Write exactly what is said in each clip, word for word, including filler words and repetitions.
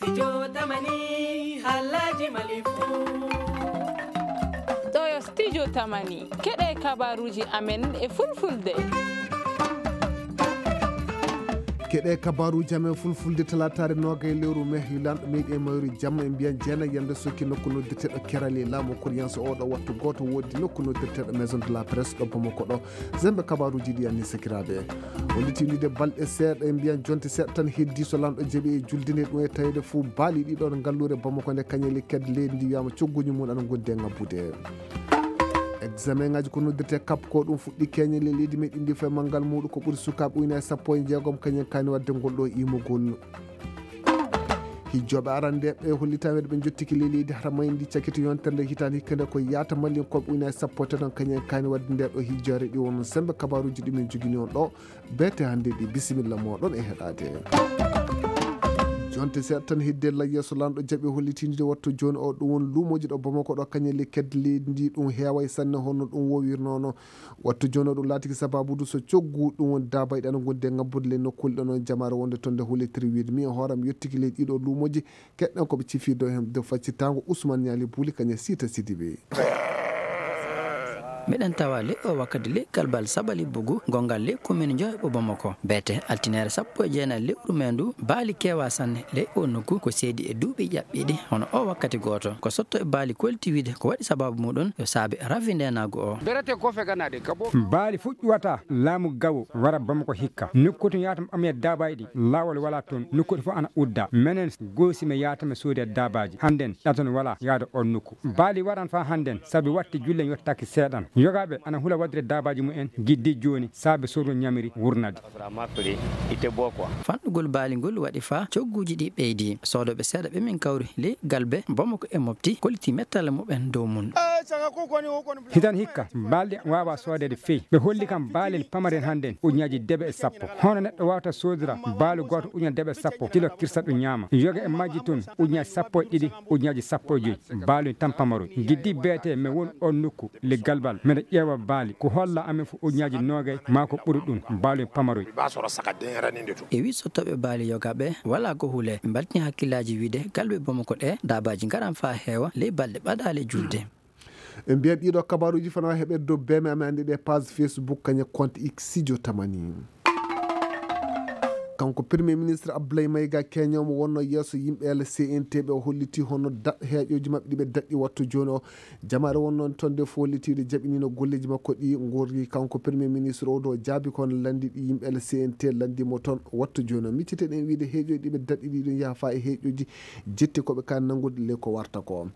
Studio Tamani, halaji Mali fu. Ɗo yo Studio Tamani, keɗe kabaruji amen e fulfulde. Keɗe kabaruji amen fulfulde, talataare noogay lewru me, hilanɗo meyɗi e mayru jamma, e mbiyan jeena yande sokki nokku noddirteɗo Kerali, laamu Koriyanso oɗo wattu gooto woodi nokku noddirteɗo Maison de la Presse ɗo Bamako ɗo. Zembe kabaruji ɗi anni sakiraaɓe. Woni tindide balɗe seeɗa, e mbiyan jonte seeɗa tan heddi so lanɗo jaɓi e julde nde, ɗum e tawede fuu baali ɗiɗo ɗo ngallure Bamako nde kañeli ked leydi ndi wiyama cogguji mum ana gondi e ngabbude. Examen ngaji ko noddirte kap ko ɗum fuɗɗi keñel e leydi meɗen ndi foye manngal muɗum ko ɓuri sukaaɓe ujunaaji sappo e jeegom kañen kaani waɗde ngol ɗo imugol. Hijjoɓe arandeɓe hollitaɓe ɓe jottiki ley leydi hara mayndi cakiti yontere nde hitande hikka nde ko yaata mallinkoɓe ujunaaji sappo e tati on kañen kaani waɗde nde ɗo hijjore ɗi won sembe kabaruji ɗi min jogini on ɗo. Bete hannde ɗi bisimilla moɗon e heɗade. Jonte seeɗa tan hedde la yeeso lanɗo jaɓi hollitinde wattu joni o ɗum won lumoji ɗo Bamako ɗo kañel e kedde leydi ndi ɗum heeway sanne honno ɗum wowirnono. Wattu joni o ɗum laatiki sababu du so coggu ɗum won daabay ɗan gonde ngabbude le nokkuule ɗon on jamaare wonde ton nde hollitiri wiide mi e hooram yettiki leydi ɗiɗo lumoji keɗɗen koɓe cifido hen de faccitango Ousmane Niali Bouli kañe Sita Sidibé. Miɗen tawa ley o wakkati ley galbal Saɓali Bugu, gongal ley komin Njoheɓo Bamako. Beete, altinere sappo e jeenayi lewru me ndu, baali kewa sanne ley o nokku, ko seedi e duuɓi ƴaɓɓiiɗi, hono o wakkati gooto. Ko sotto e baali kolti wiide ko waɗi sababu muɗum yo saabe rafi ndenaagu o. Baali fuɗɗuwata laamu gawo wara Bamako hikka. Nokku tun yaata mi ɓamya daabaji ɗi, laawol wala tun, nokku ɗi fof ana udda. Menen goosi mi yaata mi sooda daabaji. Hannden ɗaton wala yaada on nokku. Baali waran faa hannden, sabi watti jullen yottaaki seeɗan. Yogaaɓe ana hula waɗude daabaaji mumen giddi jooni, saabe sorru ñamiri wurnade. Fanɗugol baali ngol waɗi faa cogguuji ɗi ɓeydi. Soodooɓe seeɗa ɓe min kawri ley galbe Bamako e Mopti kolliti mettale muɓen dow mun. Hitan hikka, baali ɗi waawa soodeede fey. Ɓe holli kam baali pamaren hannden, ujunnaaji debe e sappo. Hono neɗɗo waawata soodira baalu gooto ujunnaaji debe e sappo, tilo kirsa ɗum ñaama. Yoga e majji tun, ujunnaaji sappo e ɗiɗi, ujunnaaji sappo e joy. Baalu tan pamaroy. Giddi beete, mi won on nokku, le galbal, miɗa ƴeewa baali. Ko holla amen fof ujunnaaji noogay, maa ko ɓuri ɗum, baalu pamaroy. E wi sottooɓe baali yoga ɓe, wala ko hule, ɓe mbaltini hakkillaaji wiide, galbe Bamako ɗe, daabaaji ngaran faa heewa, ley balɗe ɓadaale julde. En mbiyan ɗiɗo kabaruji fana heɓe dow beme amen andi ɗe page Facebook kañe compte X Studio Tamani. Kanko Premier Ministre Abdoulaye Maïga Keño mo wonno yeeso yimɓe L C N T ɓe o holliti hono da-, heeƴoji maɓɓe ɗi ɓe daɗɗi wattu joni o. Jamaare wonno toon de fof hollitiiɗo jaɓinino golleji makko ɗi ngorri. Kanko Premier Ministre o ɗo jaabi kono landi ɗi yimɓe L C N T landi mo toon wattu joni o. Miccite ɗen wiide heeƴoji ɗi ɓe daɗɗi ɗi ɗum yaha fa e heeƴoji jetti koɓe kan nanngude le ko warta ko.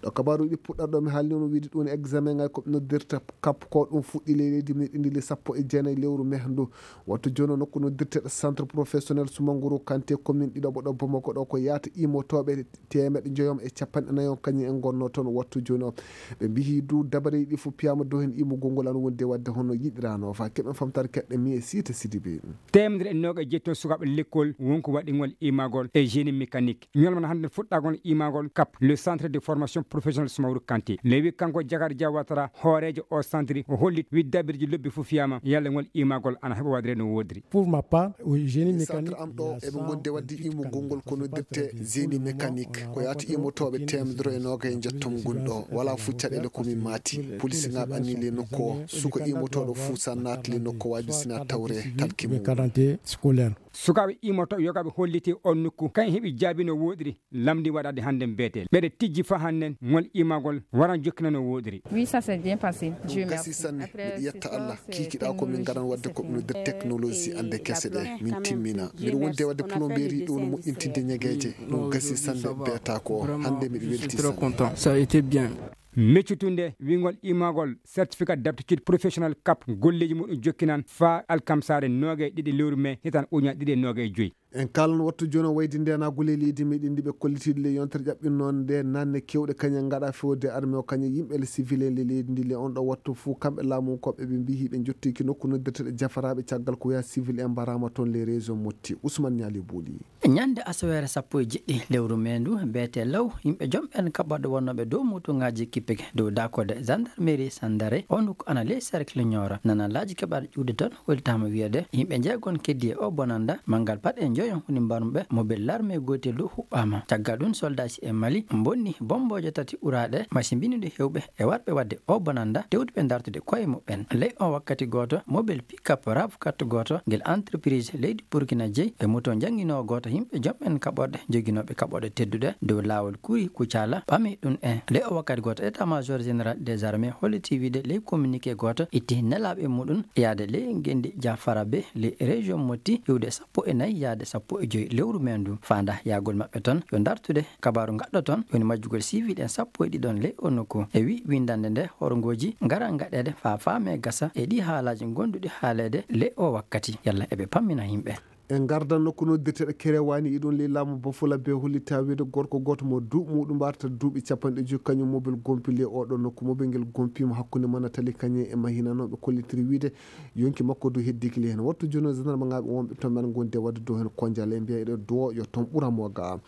Ɗo kabaruji puɗɗarɗo mi haalni on wiide ɗum examen ngal ko ɓe noddirta kap ko ɗum fuɗɗi ley leydi meɗen ndi le sappo e jeenayi lewru mehdu. Wattu joni o nokku noddirteɗo centre professionnel Soumangoro Kanté commune ɗiɗo ɓoɗo Bamako ɗo ko yaata imotoɓe teemeɗe njoyom e capanɗe nayon kañum en gonno toon wattu joni o. Ɓe mbihi du dabareji ɗi fof piyama dow hen imugol ngol an wonde wadde hono yiɗirano fa keɓen famtare keɗɗe mi e Sita Sidibé. Teemedere e noga e jeetto sukaaɓe lekkol wonko waɗi ngol imagol e génie mécanique. Ñolmana hannde fuɗɗagol imagol kap, le centre de formation professionnelle Soumaoro Kanté. Lewi kanko Jakar Diawatara, hooreejo o centre, o holli widdabirji lobbi fof fiyama yalla ngol imagol ana heɓa waɗire no woodiri. Pour ma part, au génie mécanique, centre am ɗo eɓe gonde wadde imugol ngol kono dette génie mécanique. Ko yaata imotoɓe teemedere e noga e jettom gunɗo. Wala fof caɗele komin maati. Polisingaɓe anni le nokku o. Suka imotoɗo fof sa naati le nokku waji sina tawre talki mum. Quarante scolaire. Sukaaɓe imoto yogaɓe holliti on nokku. Kañ heɓi jaabi no woɗiri. Lamndi waɗaade hannden beeteel. Ɓeɗe tijji fa hannden ngol imagol waran jokkina no woɗiri. Oui, ça s'est bien passé. Dieu merci. Ɗum gasi sanne. Miɗo yetta Allah. Kiikiɗa ko min ngaran waɗde ko ɓe noddir technologie annde kese ɗe. Min timmina. Miɗo wondi e waɗde plomberie ɗum no moƴƴintinde ñegeeje. Ɗum gasi sanne beeta ko. Hannde miɗo welti sanne. Ça a été bien. Meccutunde wingol imagol certificat d'aptitude professionnelle kap golleeji muɗum jokkinan faa alkamsaare noogay ɗiɗi lewru me hitan uña ɗiɗi e noogay joyi. En kaalan wattu jooni o waydi ndeenaagu ley leydi meɗen ndi ɓe kollitiiɗo ley yontere ƴaɓɓinnoonde nde naanne keewɗe kañe ngaɗa fewde arme o kañe yimɓe le civil en ley leydi ndi le on ɗo wattu fuu kamɓe laamunkooɓe ɓe mbiyi ɓe njottiiki nokku noddirteɗo jafaraaɓe caggal ko wiya civil en mbaraama toon ley région motti Ousmane Ñaali Booli. Ñande asaweere sappo e jeɗɗi lewru me ndu beete law yimɓe jom ɓen kaɓɓorɗe wonnooɓe dow motuŋaaji kippike dow daakorde gendarmerie sandare o nokku ana ley cercle ñoora nana laaji keɓaɗo ƴuwde toon weltaama wiyede yimɓe jeegon keddi e o bonanda manngal paɗe Yoyon woni mbarmuɓe, mobel larme gootel du huɓɓaama. Caggal ɗum, soldaaji e Mali mbonni bombooje tati uraaɗe, masimbiniiɗo heewɓe e warɓe waɗde o bonannda, tewtuɓe dartude koye muɓɓen. Ley o wakkati gooto, mobel pick-up rav quatre gooto ngel entreprise leydi Burkina jeyi e moto njannginoowo gooto yimɓe jom'en kaɓorɗe joginooɓe kaɓorɗe tedduɗe dow laawol Kuri Kucala ɓami ɗum en. Ley o wakkati gooto, état-major général des armées holliti wiide ley communiqué gooto itti nelaaɓe muɗum yaade ley ngenndi Jafara be ley région Motti iwde sappo e nayi yaade sappo e joyi lewru men ndu. Faanda yahgol maɓɓe toon yo dartude kabaaru ngaɗɗo toon, woni majjugol civil en sappo e ɗiɗon ley o nokku. E wi winndannde nde horngooji ngara ngaɗeede faa faame gasa e ɗi haalaaji ngonduɗi haaleede ley o wakkati. Yalla eɓe pammina yimɓe. En ngardan nokku noddirteɗo Kerewaani, iɗum ley laamu Bafula be hollitaa wiide gorko gooto mo duuɓi muɗum mbarata duuɓi capanɗe joyi, kañum mobel gompi ley oɗo nokku. Mobel ngel gompiima hakkunde mana tali kañe e mahinanooɓe kollitiri wiide yonki makko du heddiiki ley heen. Wattu jooni o, gendarme ŋaaɓe wonɓe toon men ngonde waɗde dow heen konjal e mbiya eɗe duwo yo toon ɓura mo ga.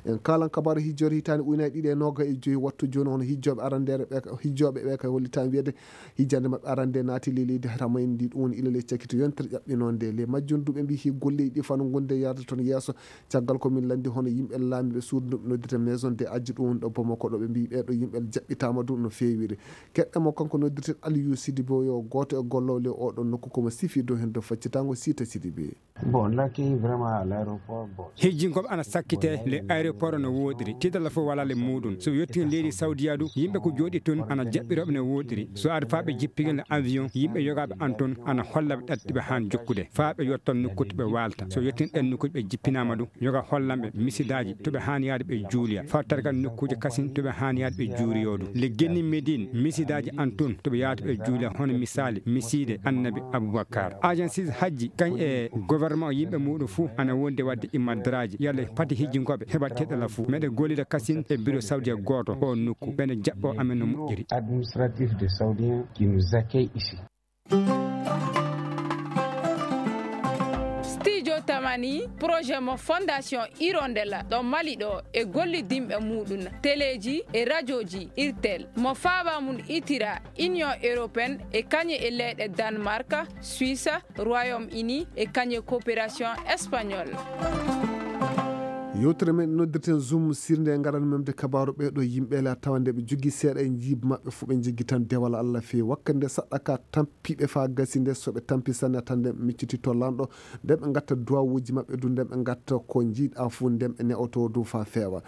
En kaalan kabaaru hijjoore hitaande ujunaaji ɗiɗi e noogaas e joyi. Wattu jooni hono hijjooɓe arandeere ɓe, hijjooɓe ɓe kay hollitaa wiyeede hijjande maɓɓe arande naati ley leydi Hamayndi, ɗum woni ilal e cakito yontere ƴaɓɓinoonde. Ley majjum du ɓe mbii hii golleeji ɗi fano gonde yaade toon yeeso. Caggal ko min lanndi hono yimɓe laamiiɓe suudu ndu ɓe noddirta maison de adji ɗum woni ɗo Bamako ɗo, ɓe mbii ɓeeɗo yimɓe jaɓɓitaama du no feewiri. Keɗɗen mo kanko noddirteɗo Aliyu Sidibe o yo gooto e gollooɓe ley oɗo nokku ko mo sifi dow heen dow faccitaango Siita Sidibe. Bon, on accueille vraiment à l'aéroport. Bon. Hijjinkooɓe ana sakkitee le aéroport no wooɗiri. Tiiɗalla fof walaa le muuɗum. So yettii leydi Saudiya du, yimɓe ko jooɗi toon ana jaɓɓirooɓe no wooɗiri. So ari faa ɓe jippigel le avion, yimɓe yogaaɓe an toon ana holla ɓe ɗatti ɓe haan jokkude. Faa ɓe yottan nokku to ɓe waalta. So yettii ɗen nokkuuji ɓe jippinaama du, yoga hollan ɓe misidaaji to ɓe haan yaade ɓe juuliya. Faa targal nokkuuje kasin to ɓe haan yaade ɓe juuriyo du. Le genni Medine, misidaaji an toon to ɓe yahata ɓe juuliya, hono misaali, misiide Annabi Abubakar. Agencies hajji, kañ e gouvernement o yimɓe muuɗum fuu ana wondi waɗde imadraaji. Yalla pati hijjinkooɓe heɓa teɗɗala fuu. Meɗe gollida kasin e bureau saoudia gooto o nokku. Ɓeɗe jaɓɓo amen no moƴƴiri. Administratif de Saoudien qui nous accueille ici. Studio Tamani, projet mo Fondation Hirondella ɗo Mali ɗo e gollidinɓe muuɗum, teleeji e rajooji Irtel, mo faaba mum itira Union Européenne e kañe e leyɗe Danemark, Suisse, Royaume-Uni e kañe coopération espagnole. Yewtere men noddirten Zoom sirnde e ngaran memde kabaaru ɓeeɗo yimɓe la tawa nde ɓe jogii seeɗa e jiiba maɓɓe fof ɓe jogii tan dewal Allah feewi. Wakkati nde saɗɗa ka tampiiɓe faa gasi nde so ɓe tampi sanne tan nden ɓe micciti to lanɗo nden ɓe ngatta duwawuuji maɓɓe du nden ɓe ngatta ko njiiɗa fof nden ɓe ne'oto du faa feewa.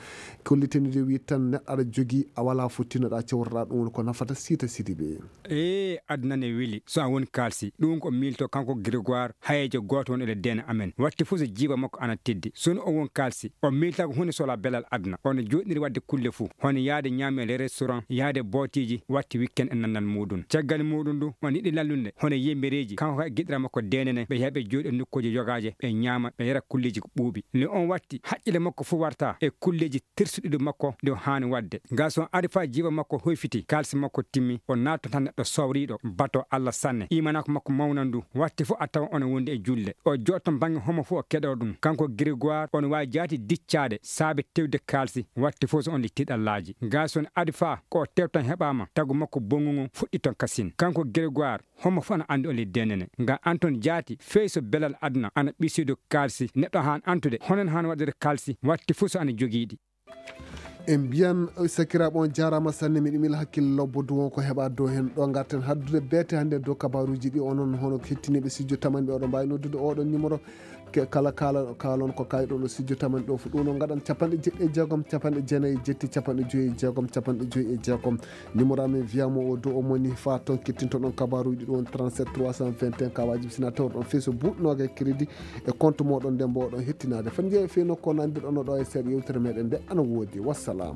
Kolliteni de wi tan neɗɗo aɗa jogii a walaa fof tinnoɗaa cewtoɗaa ɗum woni ko nafata Siita Sidibe. Ee, aduna ne weli. So a woni kaalsi. Ɗum ko miilto kanko Grégoire, hayeejo gooto won e le deene amen. Watti fof so jiiba makko ana teddi. So no o won kaalsi, o miilta ko huunde sola belal aduna. Ono jooɗniri waɗde kulle fof. Hono yaade ñaame le restaurant, yaade bootiiji, watti weekend e nannal muuɗum. Caggal muuɗum du, on yiɗi lallunde, hono yembereeji, kanko kay giɗira makko deene ne, ɓe yaha ɓe jooɗi e nokkuuji yogaaje, ɓe ñaama, ɓe yara kulleeji ko ɓuuɓi. Le on watti, haqqille makko fof warta e kulleeji tersuɗiɗo makko nde o haani waɗde. Gaa so on ari faa jiiba makko hoyfiti, kaalisi makko timmi, o naatto tan neɗɗo sowriiɗo, bato Allah sanne. Iimanaaku makko mawnan du, watti fof a tawa ono wondi e julde. O jooɗto bannge homo fof o keɗoo ɗum. Kanko Grégoire, ono waawi jaati diccaade saabe tewde kaalisi, watti fof so on li tiiɗallaaji. Gaa so on ari faa ko o tewtan heɓaama, tagu makko bonngu ngu fuɗɗi ton kasin. Kanko Grégoire, homo fof ana anndi on li denene. Ngam an toon jaati, fey so belal aduna ana ɓisoyde kaalisi, neɗɗo haan antude, hono en haan waɗude kaalisi, watti fof so ana jogiiɗi. En mbiyan, sakiraaɓe, on jaaraama sanne, miɗo mila hakkille lobbo du won ko heɓa dow heen. Ɗo ngarten haddude beete hannde dow kabaaruuji ɗi, onon hono hettiniiɓe studio Tamani ɓe, oɗon mbaawi noddude oɗon numéro. Ke-, kala kaala-, kaalon ko kayɗon o studio Tamani ɗo fof. Ɗum noon ngaɗan capanɗe jeɗɗi e jeegom, capanɗe jeenayi e jetti, capanɗe joyi e jeegom, capanɗe joyi e jeegom. Numéro amen wiya mo o dow o moni faa toon kettintoɗon kabaaruuji ɗi won trente-sept trois cent vingt et un kawaaji. Sina tawruɗon fey so buuɗi noogay crédit e compte mooɗon nde mboɗon hettinaade. Fan jeeya fey nokku o nandirɗon ɗo e seeɗa yewtere meɗen nde ana woodi. Wassalam.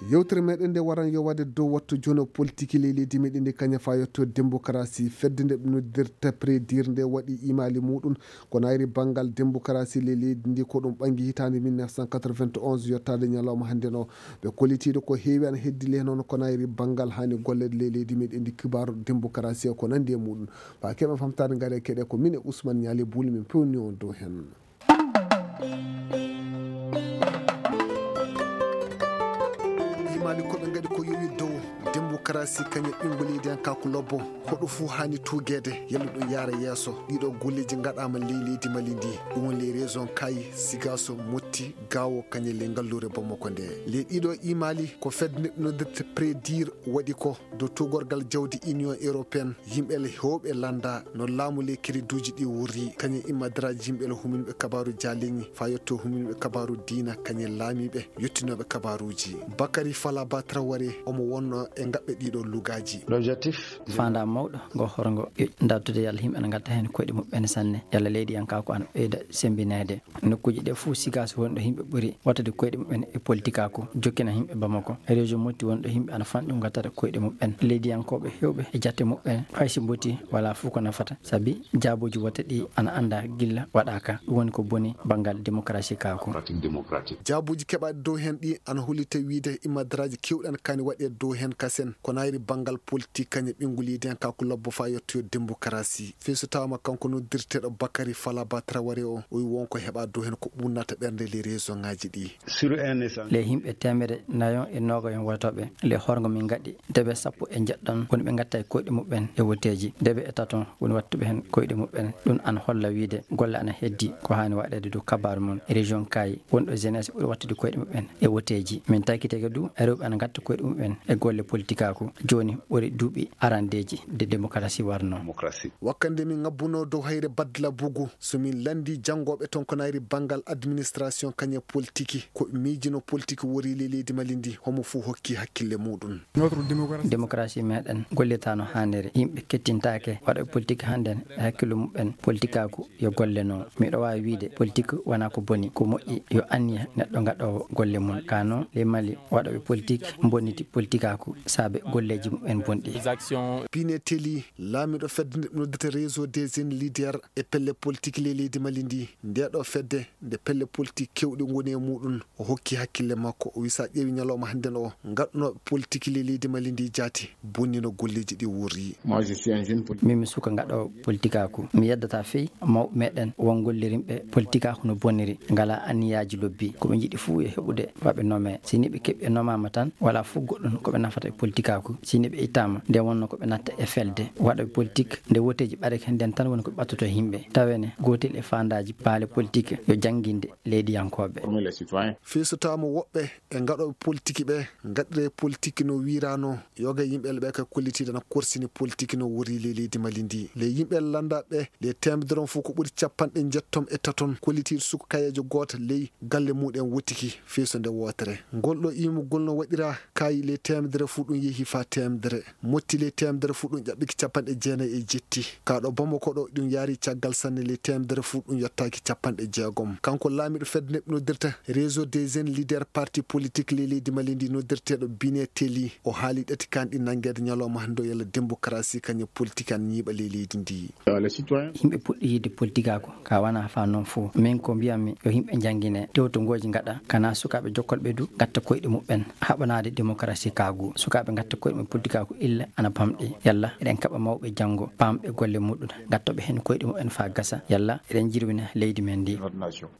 Yewtere meɗen nde waran yo waɗe dow wattu jono politique ley leydi meɗen ndi kaña faa yetto démocratie. Fedde nde ɓe noddirta Prédir nde waɗi imali muɗum ko nayri banngal démocratie ley leydi ndi ko ɗum ɓangi hitaande mille neuf cent quatre-vingt-onze yottaade ñalawma hannde no. Ɓe kollitiiɗo ko heewi ana heddi ley noon ko nayri banngal haani golleede ley leydi meɗen ndi kibaaru démocratie ko nanndi e muɗum. Faa keɓen famtaade ngare keɗe ko min e Ousmane Ñaali Buuli min pewni on dow heen. Imali ko ɓe ngaɗi ko yowi dow démocratie. démocratie kañum ɓinngu leydi en, kanko lobbo, hoɗo fuu haani tuugeede, yalla ɗum yaara yeeso. Ɗiɗo golleeji ngaɗaama ley leydi Mali ndi, ɗum woni les régions Kaayi, Sigaaso, Motti, Gaawo, kañum ley ngalluure Bamako nde. Les ɗiɗo imaali ko fedde nde noddirte Prédir waɗi ko dow tuugorgal jawdi Union Européenne, yimɓe le heewɓe lannda no laamu ley kiriduuji ɗi wurri, kañum immadraaji yimɓe le huminɓe kabaaru jaaleñi, faa yetto huminɓe kabaaru diina, kañum laamiiɓe yottinooɓe kabaaruuji. Bakary Falaba Traoré omo wonno e ngaɓɓe ɗiɗo lugaaji. L'objectif. Faandaa mawɗo ngo horngo yo dartude yalla yimɓe ana ngatta heen koyɗe muɓɓen sanne, yalla leydi en kaa ko ana ɓeyda semmbineede. Nokkuuji ɗe fof sigas wonɗo yimɓe ɓuri wattude koyɗe muɓɓen e politikaaku, jokkina yimɓe Bamako. Région Motti wonɗo yimɓe ana fanɗi ngattata koyɗe muɓɓen. Leydiyankooɓe heewɓe e jatte muɓɓen, hay si mboti wala fof ko nafata, sabi jaabuuji wote ɗi ana annda gilla waɗaaka. Ɗum woni ko boni banngal démocratie kaaku. Pratique démocratique. Jaabuuji keɓaaɗi dow heen ɗi ana hollita wiyde immadraaji keewɗi ana kaani waɗeede dow heen kasen, ko naayri banngal politik kañum ɓinngu leydi en kaaku lobbo faa yettoyo démocratie. Fii so tawaama kanko noddirteeɗo Bakary Falaba Traoré o, o wi won ko heɓa dow heen ko ɓunnata ɓernde les régions ŋaaji ɗi. Sur un échange. Les yimɓe teemedde nayon e noogayon wotooɓe, les horngo min ngaɗi debe sappo e njeɗɗon woni ɓe ngatta e koyɗe muɓɓen e woteeji. Debe e taton woni wattuɓe heen koyɗe muɓɓen. Ɗum ana holla wiyde golle ana heddi ko haani waɗeede dow kabaaru mon. Région Kaayi wonɗo jeunesse ɓuri wattude koyɗe muɓɓen e woteeji. Min taykitege du e rewɓe ana ngatta koyɗe muɓɓen e golle politikaaku. Jooni ɓuri duuɓi arandeeji de démocratie warno. Démocratie. Wakkande min ngabbunoo dow hayre Badla Bugu, so min lanndii janngooɓe toon ko naayri banngal administration kañe politiki, ko ɓe miijino politiki wori le leydi Mali ndi, homo fof hokki hakkille muuɗum. Démocratie meɗen gollitaano haaniri. Yimɓe kettintaake waɗa politik hannden e hakkillo muɓɓen politikaaku yo golle noon. Miɗo waawi wiyde politik wonaa ko boni, ko moƴƴi yo anniya neɗɗo ngaɗoowo golle mum. Ka noon le Mali waɗooɓe politik mbonniti politikaaku saabe golleeji muɓɓen bonɗi. Pineteli, laamiiɗo fedde nde noddata réseau des jeunes leaders e pelle politik le leydi Mali ndi. Ndeeɗo fedde nde pelle politik keewɗi ngoni e muuɗum, o hokki hakkille makko. O wi so a ƴeewi ñalawma hannden o, ngaɗnooɓe politik le leydi Mali ndi jaati bonnino golleeji ɗi wurri. Moi, je suis un jeune politique. Min mi suka ngaɗoowo politikaaku. Mi yeddata fii mawɓe meɗen won gollirimɓe politikaaku no boniri, ngalaa anniyaaji lobbi. Ko ɓe njiɗi fuu yo heɓude faa ɓe nomee. Si ni ɓe keɓi ɓe nomaama tan, walaa fuu goɗɗum ko ɓe nafata e politikaaku. Si ni ɓe ittaama, nde wonno ko ɓe natta e felde. Waɗooɓe politik, nde woteeji ɓadake nden tan woni ko ɓe ɓattoto e yimɓe. Tawene gootel e faandaaji baale politik yo jannginde leydiyankooɓe. Former les citoyens. Fii so tawaama woɓɓe e ngaɗooɓe politiki ɓe ngaɗire politiki no wiiraano, yoga yimɓe ɓe ka kollitiiɗe na korsini politiki no wori le leydi Mali ndi. Le yimɓe lannda ɓe, le teemedere on fof ko ɓuri capanɗe njetton e taton kollitiiɗe suka kayeejo gooto ley galle muɗen wotiki fii so nde wootere. Ngol ɗo iimugol no waɗira kayi le teemedere fof ɗum yehi faa teemedere. Motti le teemedere fof ɗum ƴaɓɓiki capanɗe jeenayi e jetti. Ka ɗo Bamako ɗo ɗum yaari caggal sanne le teemedere fof ɗum yottaaki capanɗe jeegom. Kanko laamiiɗo fedde nde ɓe noddirta réseau des jeunes leaders parti politique le leydi Mali ndi noddirteeɗo Binet Teli, o haali ɗati kanɗi nanngeede ñalawma hannde o yalla démocratie kañum politique an ñiiɓa le leydi ndi. Yimɓe puɗɗi yiɗde politikaaku, ka wonaa faa noon fof. Min ko mbiyammi yo yimɓe njanngine, tewtongooji ngaɗa, kana sukaaɓe jokkolɓe du ngatta koyɗe muɓɓen, haɓanaade démocratie kaagu. Sukaaɓe ngatta koyɗe muɓɓen politikaaku illa ana bamɗi. Yalla eɗen kaɓa mawɓe janngo, paamɓe golle muɗum, ngattooɓe heen koyɗe muɓɓen faa gasa. Yalla eɗen jirwina leydi men ndi.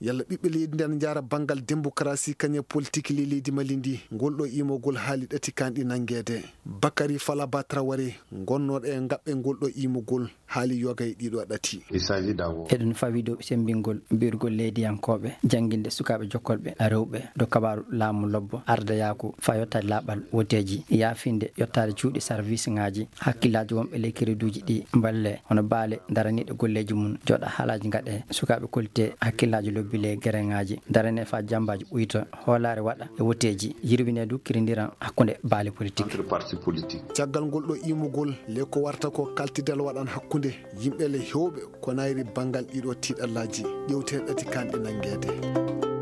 Yalla ɓiɓɓe leydi ndi ana njaara banngal démocratie kañum politique le leydi Mali ndi, ngol ɗo iimogol haali ɗati kanɗi nanngeede. Bakary Falaba Traoré, gonnooɗo e ngaɓɓe ngol ɗo iimugol, haali yoga e ɗiɗo ɗati. Il s'agit d'abord. Eɗen fawi dow semmbingol mbirgol leydiyankooɓe, jannginde sukaaɓe jokkolɓe rewɓe dow kabaaru laamu lobbo, ardayaaku faa yottaade laaɓal woteeji, yaafinde yottaade cuuɗi sarwisŋaaji, hakkillaaji wonɓe ley kiriduuji ɗi mballe, hono baale daraniiɗe golleeji mum, jooɗa haalaaji ngaɗe, sukaaɓe kollite hakkillaaji lobbi ley gereŋaaji, darane faa jammbaaji ɓuyta, hoolaare waɗa e woteeji, yirwine du kirindiran hakkunde baale politik. Entre partis politiques. Caggal ngol ɗo iimugol, le ko warta ko kaltidal waɗan hakkunde yimɓe le heewɓe ko nayri banngal ɗiɗo tiiɗallaaji ƴewteeɗi ɗati kanɗe nanngeede.